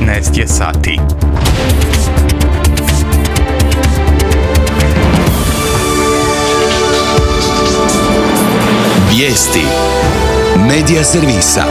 19 je sati. Vijesti Medija servisa.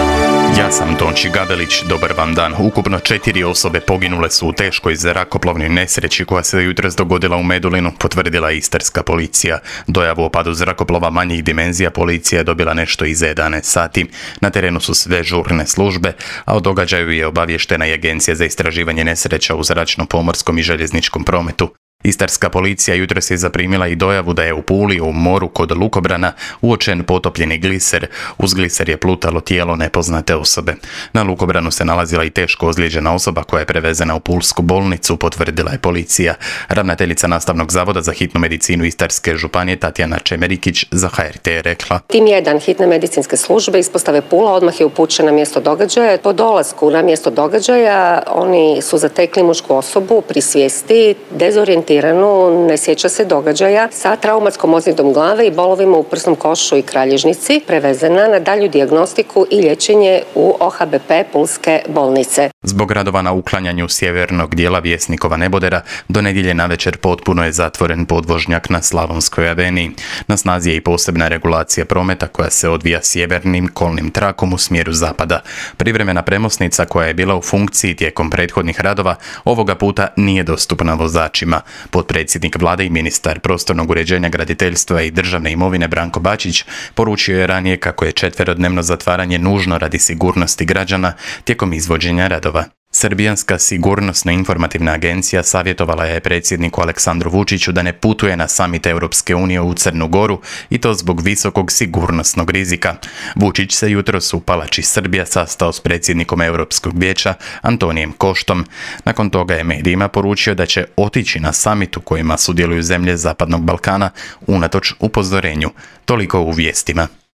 Ja sam Tonči Gabelić, dobar vam dan. Ukupno 4 osobe poginule su u teškoj zrakoplovnoj nesreći koja se jutros dogodila u Medulinu, potvrdila je istarska policija. Dojavu o padu zrakoplova manjih dimenzija policija je dobila nešto iza 11 sati. Na terenu su sve žurne službe, a o događaju je obavještena i Agencija za istraživanje nesreća u zračnom, pomorskom i željezničkom prometu. Istarska policija jutros je zaprimila i dojavu da je u Puli u moru kod Lukobrana uočen potopljeni gliser. Uz gliser je plutalo tijelo nepoznate osobe. Na Lukobranu se nalazila i teško ozlijeđena osoba koja je prevezena u pulsku bolnicu, potvrdila je policija. Ravnateljica Nastavnog zavoda za hitnu medicinu Istarske županije Tatjana Čemerikić za HRT je rekla: Tim 1 hitne medicinske službe ispostave Pula odmah je upućen na mjesto događaja. Po dolasku na mjesto događaja oni su zatekli mušku osobu pri svijesti, dezorijentiranu, ne sjeća se događaja, sa traumatskom ozljedom glave i bolovima u prsnom košu i kralježnici, prevezena na dalju dijagnostiku i liječenje u OHBP Pulske bolnice. Zbog radova na uklanjanju sjevernog dijela Vjesnikova nebodera, do nedjelje navečer potpuno je zatvoren podvožnjak na Slavonskoj aveniji. Na snazi je i posebna regulacija prometa koja se odvija sjevernim kolnim trakom u smjeru zapada. Privremena premosnica koja je bila u funkciji tijekom prethodnih radova ovoga puta nije dostupna vozačima. Potpredsjednik vlade i ministar prostornog uređenja, graditeljstva i državne imovine Branko Bačić poručio je ranije kako je 4-dnevno zatvaranje nužno radi sigurnosti građana tijekom izvođenja radova. Srbijanska sigurnosno-informativna agencija savjetovala je predsjedniku Aleksandru Vučiću da ne putuje na samit Europske unije u Crnu Goru i to zbog visokog sigurnosnog rizika. Vučić se jutros u Palači Srbija sastao s predsjednikom Europskog vijeća Antonijem Koštom. Nakon toga je medijima poručio da će otići na samit u kojima sudjeluju zemlje Zapadnog Balkana unatoč upozorenju. Toliko u vijestima.